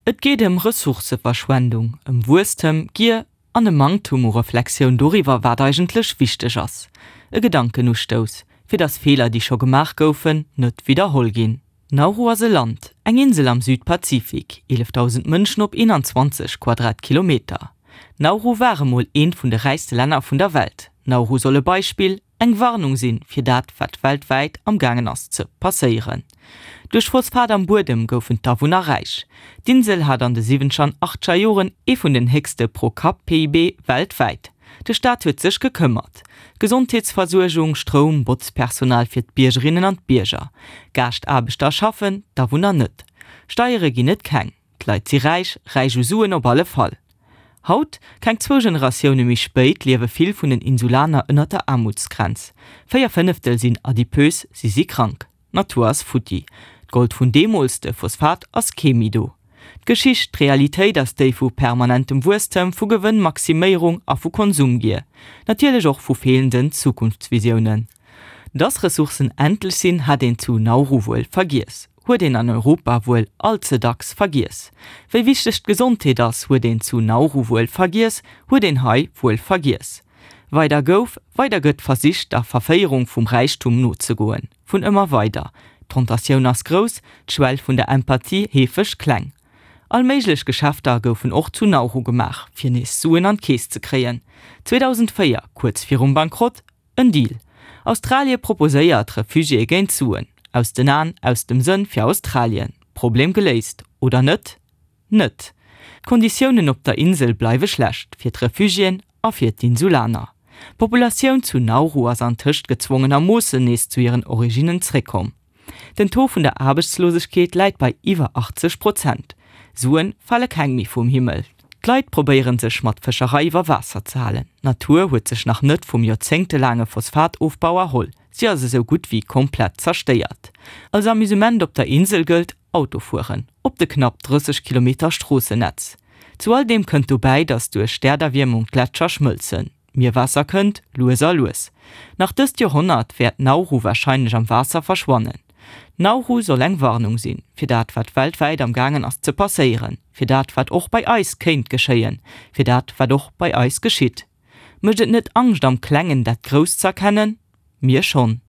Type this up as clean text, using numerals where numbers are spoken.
Et geet ëm Ressourcëverschwendung, ëm Wuesstem, Gier an e Manktum u Reflexioun doriwwer, wat eigentlech wichteg ass. E Gedankenustouss, fir datt Feeler, déi scho gemaach goufen, net widderholl ginn. Nauru ass e Land, eng Insel am Südpazifik, 11.000 Mënschen op 21 Quadratkilometer. Nauru war emol eent vun de räichste Länner vun der Welt. Nauru soll e Beispill, eng Warnung sinn, fir dat, wat weltwäit am gaangen ass ze passéieren. Duerch Phosphat am Buedem goufen d'Awunner räich. D'Insel hat an de siwwenzeger an achteger Joren ee vun den héchste Pro-Kapp-PIB weltwäit. De Staat huet sech gekëmmert. Gesondheetsversuergung, Stroum, Botzpersonal fir d'Biergerinnen an d'Bierger. Gaaschtaarbechter schaffen, d'Awunner net. Steiere ginn et keng. D'Leit si räich, räich u Suen op alle Fall. Haut, keng zwou Generatioune méi spéit, liewe vill vun den Insulaner ënner der Aarmutsgrenz. 4 Fënneftel sinn adipös, si si krank. D'Natur ass futti. D'Gold vun deemools, de Phosphat, ass kee méi do. D'Geschicht, d'Realitéit ass déi vu permanentem Wuesstem, vu Gewënnmaximéierung a vu Konsumgier. Natierlech och vu feelenden Zukunftsvisiounen. Dass Ressourcen endlech sinn, hat een zu Nauru wuel vergiess. Huet een an Europa wuel all ze dacks vergiess. Wéi wichteg d'Gesondheet ass, huet een zu Nauru wuel vergiess, huet een hei wuel vergiess. Weider gouf, weider gëtt versicht, der Verféierung vum Räichtum nozegoen. Vun ëmmer weider. D'Tentatioun ass grouss, d'Schwell vun der Empathie heefeg kleng. All méiglech Geschäfter goufen och zu Nauru gemaach, fir nees Suen an d'Keess ze kréien. 2004, kuerz virum Bankrott, En Deal. Australie proposéiert Refugiéë géint Suen. Aus den Aen, aus dem Sënn fir Australien. Problem geléist. Oder net? Net. D'Konditiounen op der Insel bleiwe schlecht, fir d'Refugiéen a fir d'Insulaner. D'Populatioun zu Nauru ass antëscht gezwongenermoossen nees zu hiren Originnen zréckkomm. Den Taux vun der Aarbechtslosegkeet läit bei iwwer 80 Prozent. Suen fale keng méi vum Himmel. D'Leit probéieren sech mat Fëscherei iwwer Waasser ze halen. D'Natur huet sech nach net vum joerzéngtelaange Phosphatofbau erholl. Si ass esou gutt wéi komplett zerstéiert. Als Amusement op der Insel gëllt, Autofueren op de knapp 30 Kilometer Stroossennetz. Zu all deem kënnt dobäi, datt duerch d'Äerderwiermung d'Gletscher schmëlzen. D'Mierwaasser kënnt, lues a lues. Nach dëst Joerhonnert wäert Nauru warscheinlech am Waasser verschwannen. Nauru soll eng Warnung sinn, fir dat wat weltwäit am gaangen ass ze passéieren, fir dat wat och bei eis kéint geschéien, fir dat wat och bei eis geschitt. Mécht et net Angscht am Klengen dat Grousst z'erkennen? Mir schonn.